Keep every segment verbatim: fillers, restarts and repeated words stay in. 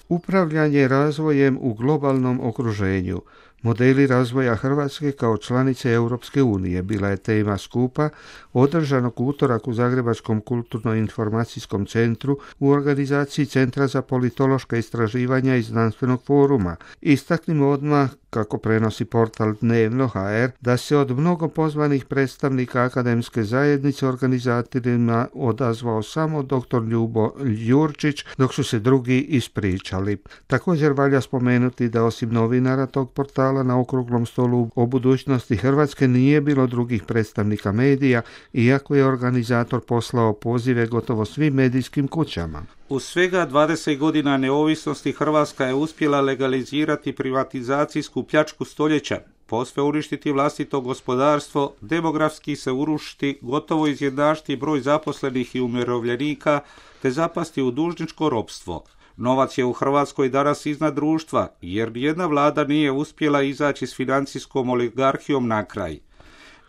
Upravljanje razvojem u globalnom okruženju. Modeli razvoja Hrvatske kao članice Europske unije bila je tema skupa održanog u utorak u Zagrebačkom kulturno-informacijskom centru u organizaciji Centra za politološka istraživanja i znanstvenog foruma. Istaknimo odmah, kako prenosi portal Dnevno точка hr, da se od mnogo pozvanih predstavnika akademske zajednice organizatorima odazvao samo doktor Ljubo Jurčić, dok su se drugi ispričali. Također valja spomenuti da osim novinara tog portala na okruglom stolu o budućnosti Hrvatske nije bilo drugih predstavnika medija, iako je organizator poslao pozive gotovo svim medijskim kućama. U svega dvadeset godina neovisnosti Hrvatska je uspjela legalizirati privatizacijsku pljačku stoljeća, posve uništiti vlastito gospodarstvo, demografski se urušiti, gotovo izjednačiti broj zaposlenih i umirovljenika, te zapasti u dužničko ropstvo. Novac je u Hrvatskoj danas iznad društva, jer nijedna vlada nije uspjela izaći s financijskom oligarhijom na kraj.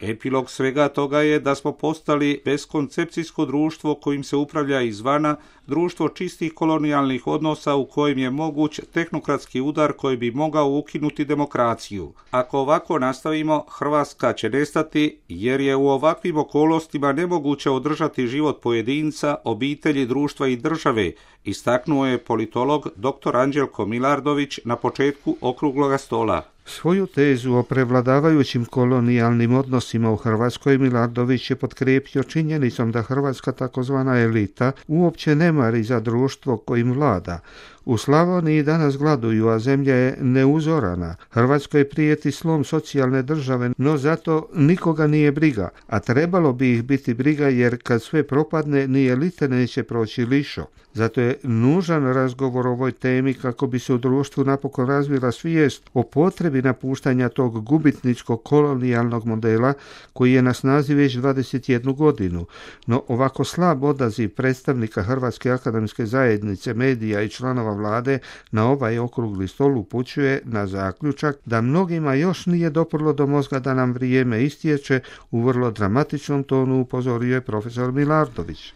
Epilog svega toga je da smo postali beskoncepcijsko društvo kojim se upravlja izvana, društvo čistih kolonijalnih odnosa u kojem je moguć tehnokratski udar koji bi mogao ukinuti demokraciju. Ako ovako nastavimo, Hrvatska će nestati, jer je u ovakvim okolnostima nemoguće održati život pojedinca, obitelji, društva i države, istaknuo je politolog doktor Anđelko Milardović na početku okrugloga stola. Svoju tezu o prevladavajućim kolonijalnim odnosima u Hrvatskoj Milardović je potkrijepio činjenicom da hrvatska takozvana elita uopće ne mari za društvo kojim vlada. U Slavoniji danas gladuju, a zemlja je neuzorana. Hrvatskoj prijeti slom socijalne države, no zato nikoga nije briga, a trebalo bi ih biti briga jer kad sve propadne ni elite neće proći lišo. Zato je nužan razgovor o ovoj temi kako bi se u društvu napokon razvila svijest o potrebi napuštanja tog gubitničkog kolonijalnog modela koji je na snazi već dvadeset jednu godinu. No ovako slab odaziv predstavnika Hrvatske akademske zajednice, medija i članova vlade na ovaj okrugli stol upućuje na zaključak da mnogima još nije doprlo do mozga da nam vrijeme istječe, u vrlo dramatičnom tonu upozorio je profesor Milardović.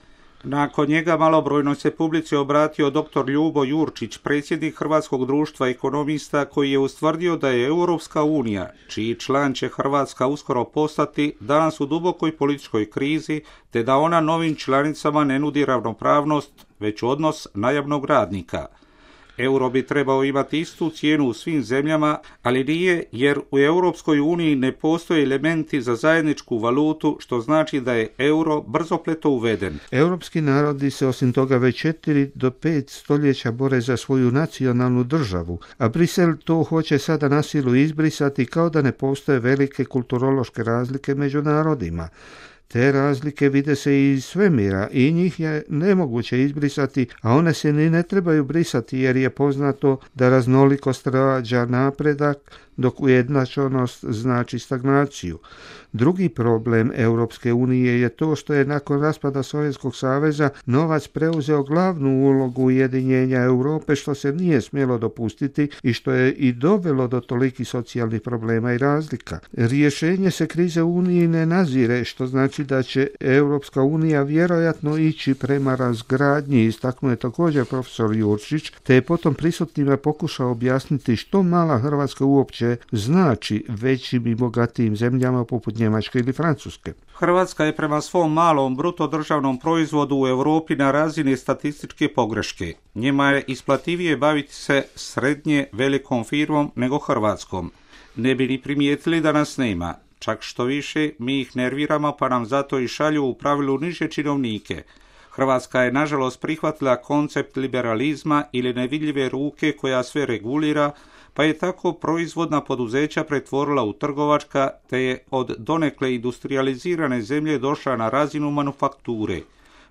Nakon njega malobrojnoj se publici obratio doktor Ljubo Jurčić, predsjednik Hrvatskog društva ekonomista, koji je ustvrdio da je Europska unija, čiji član će Hrvatska uskoro postati, danas u dubokoj političkoj krizi, te da ona novim članicama ne nudi ravnopravnost, već odnos najamnog radnika. Euro bi trebao imati istu cijenu u svim zemljama, ali nije, jer u Europskoj uniji ne postoje elementi za zajedničku valutu, što znači da je euro brzopleto uveden. Europski narodi se osim toga već četiri do pet stoljeća bore za svoju nacionalnu državu, a Brisel to hoće sada na silu izbrisati kao da ne postoje velike kulturološke razlike među narodima. Te razlike vide se i iz svemira i njih je nemoguće izbrisati, a one se ni ne trebaju brisati jer je poznato da raznolikost rađa napredak, dok ujednačenost znači stagnaciju. Drugi problem Europske unije je to što je nakon raspada Sovjetskog saveza novac preuzeo glavnu ulogu ujedinjenja Europe, što se nije smjelo dopustiti i što je i dovelo do tolikih socijalnih problema i razlika. Rješenje se krize u Uniji ne nazire, što znači da će Europska unija vjerojatno ići prema razgradnji, istaknuo je također profesor Jurčić, te je potom prisutnima pokušao objasniti što mala Hrvatska uopće znači većim i bogatijim zemljama poput Njemačke ili Francuske. Hrvatska je prema svom malom bruto državnom proizvodu u Europi na razini statističke pogreške. Njima je isplativije baviti se srednje velikom firmom nego Hrvatskom. Ne bi ni primijetili da nas nema. Čak što više, mi ih nerviramo pa nam zato i šalju u pravilu niže činovnike. Hrvatska je nažalost prihvatila koncept liberalizma ili nevidljive ruke koja sve regulira, pa je tako proizvodna poduzeća pretvorila u trgovačka, te je od donekle industrializirane zemlje došla na razinu manufakture.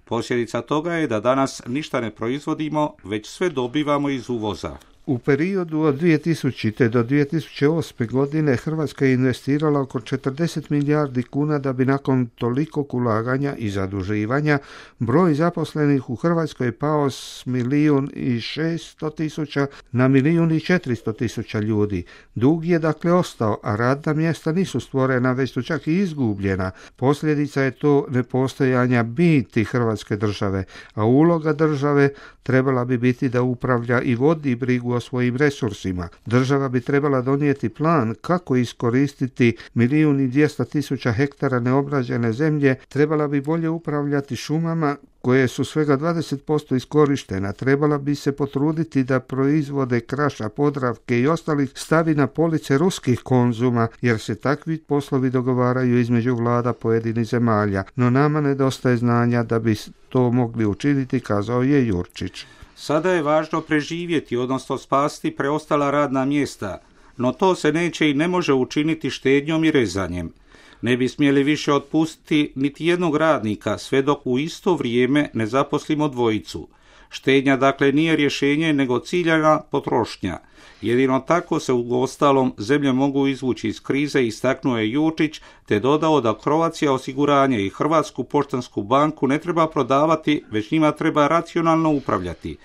Posljedica toga je da danas ništa ne proizvodimo, već sve dobivamo iz uvoza. U periodu od dvije tisućite. do dvije tisuće osme. godine Hrvatska je investirala oko četrdeset milijardi kuna da bi nakon tolikog ulaganja i zaduživanja broj zaposlenih u Hrvatskoj pao s milijun i šesto tisuća na milijun i četiristo tisuća ljudi. Dug je dakle ostao, a radna mjesta nisu stvorena, već su čak i izgubljena. Posljedica je to nepostojanja biti Hrvatske države, a uloga države trebala bi biti da upravlja i vodi brigu o svojim resursima. Država bi trebala donijeti plan kako iskoristiti milijun i dvjesto tisuća hektara neobrađene zemlje, trebala bi bolje upravljati šumama koje su svega dvadeset posto iskorištena, trebala bi se potruditi da proizvode Kraša, Podravke i ostalih stavi na police ruskih konzuma, jer se takvi poslovi dogovaraju između vlada pojedinih zemalja, no nama nedostaje znanja da bi to mogli učiniti, kazao je Jurčić. Sada je važno preživjeti, odnosno spasiti preostala radna mjesta, no to se neće i ne može učiniti štednjom i rezanjem. Ne bi smjeli više otpustiti niti jednog radnika, sve dok u isto vrijeme ne zaposlimo dvojicu. Štednja dakle nije rješenje, nego ciljana potrošnja. Jedino tako se uostalom zemlje mogu izvući iz krize, istaknuo je Jurčić, te dodao da Croatia osiguranje i Hrvatsku poštansku banku ne treba prodavati, već njima treba racionalno upravljati.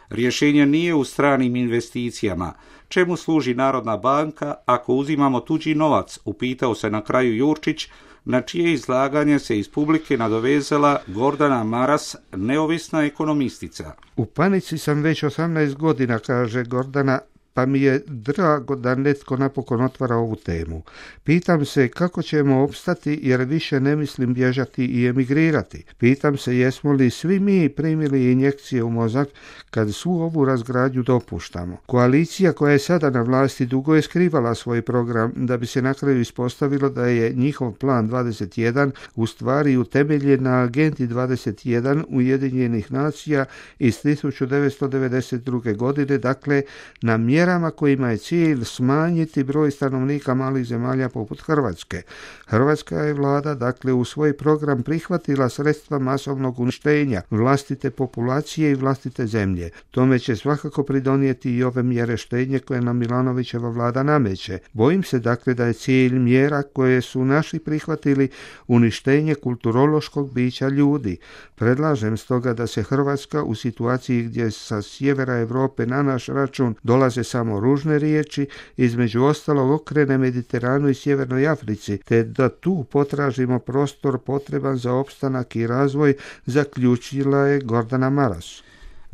Rješenje nije u stranim investicijama. Čemu služi Narodna banka ako uzimamo tuđi novac, upitao se na kraju Jurčić, na čije izlaganje se iz publike nadovezala Gordana Maras, neovisna ekonomistica. U panici sam već osamnaest godina, kaže Gordana, pa mi je drago da netko napokon otvara ovu temu. Pitam se kako ćemo opstati, jer više ne mislim bježati i emigrirati. Pitam se jesmo li svi mi primili injekcije u mozak kad svu ovu razgradnju dopuštamo. Koalicija koja je sada na vlasti dugo je skrivala svoj program, da bi se na kraju ispostavilo da je njihov plan dvadeset jedan u stvari utemeljen na agenti dvadeset jedan Ujedinjenih nacija iz tisuću devetsto devedeset druge. godine, dakle na mjerama kojima je cilj smanjiti broj stanovnika malih zemalja poput Hrvatske. Hrvatska je vlada dakle u svoj program prihvatila sredstva masovnog uništenja vlastite populacije i vlastite zemlje. Tome će svakako pridonijeti i ove mjere štednje koje nam Milanovićeva vlada nameće. Bojim se dakle da je cilj mjera koje su naši prihvatili uništenje kulturološkog bića ljudi. Predlažem stoga da se Hrvatska u situaciji gdje sa sjevera Europe na naš račun dolaze samo ružne riječi, između ostalog okrene Mediteranu i Sjevernoj Africi, te da tu potražimo prostor potreban za opstanak i razvoj, zaključila je Gordana Maras.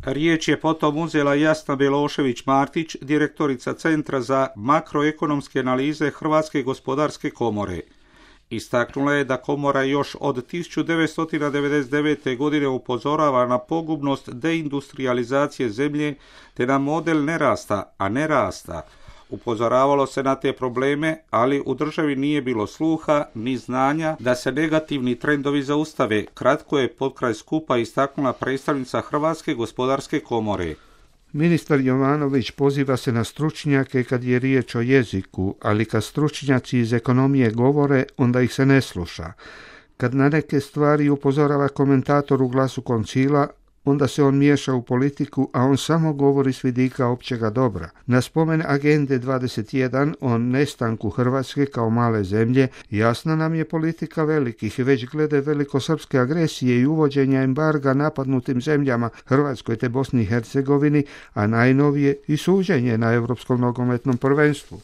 Riječ je potom uzela Jasna Belošević-Martić, direktorica Centra za makroekonomske analize Hrvatske gospodarske komore. Istaknula je da komora još od tisuću devetsto devedeset devete. godine upozorava na pogubnost deindustrializacije zemlje te na model nerasta, a ne rasta. Upozoravalo se na te probleme, ali u državi nije bilo sluha ni znanja da se negativni trendovi zaustave. Kratko je potkraj skupa istaknula predstavnica Hrvatske gospodarske komore. Ministar Jovanović poziva se na stručnjake kad je riječ o jeziku, ali kad stručnjaci iz ekonomije govore, onda ih se ne sluša. Kad na neke stvari upozorava komentator u Glasu Koncila, onda se on miješa u politiku, a on samo govori s vidika općega dobra. Na spomen agende dvadeset jedan o nestanku Hrvatske kao male zemlje, jasna nam je politika velikih, već glede velikosrpske agresije i uvođenja embarga napadnutim zemljama Hrvatskoj te Bosni i Hercegovini, a najnovije i suđenje na Europskom nogometnom prvenstvu.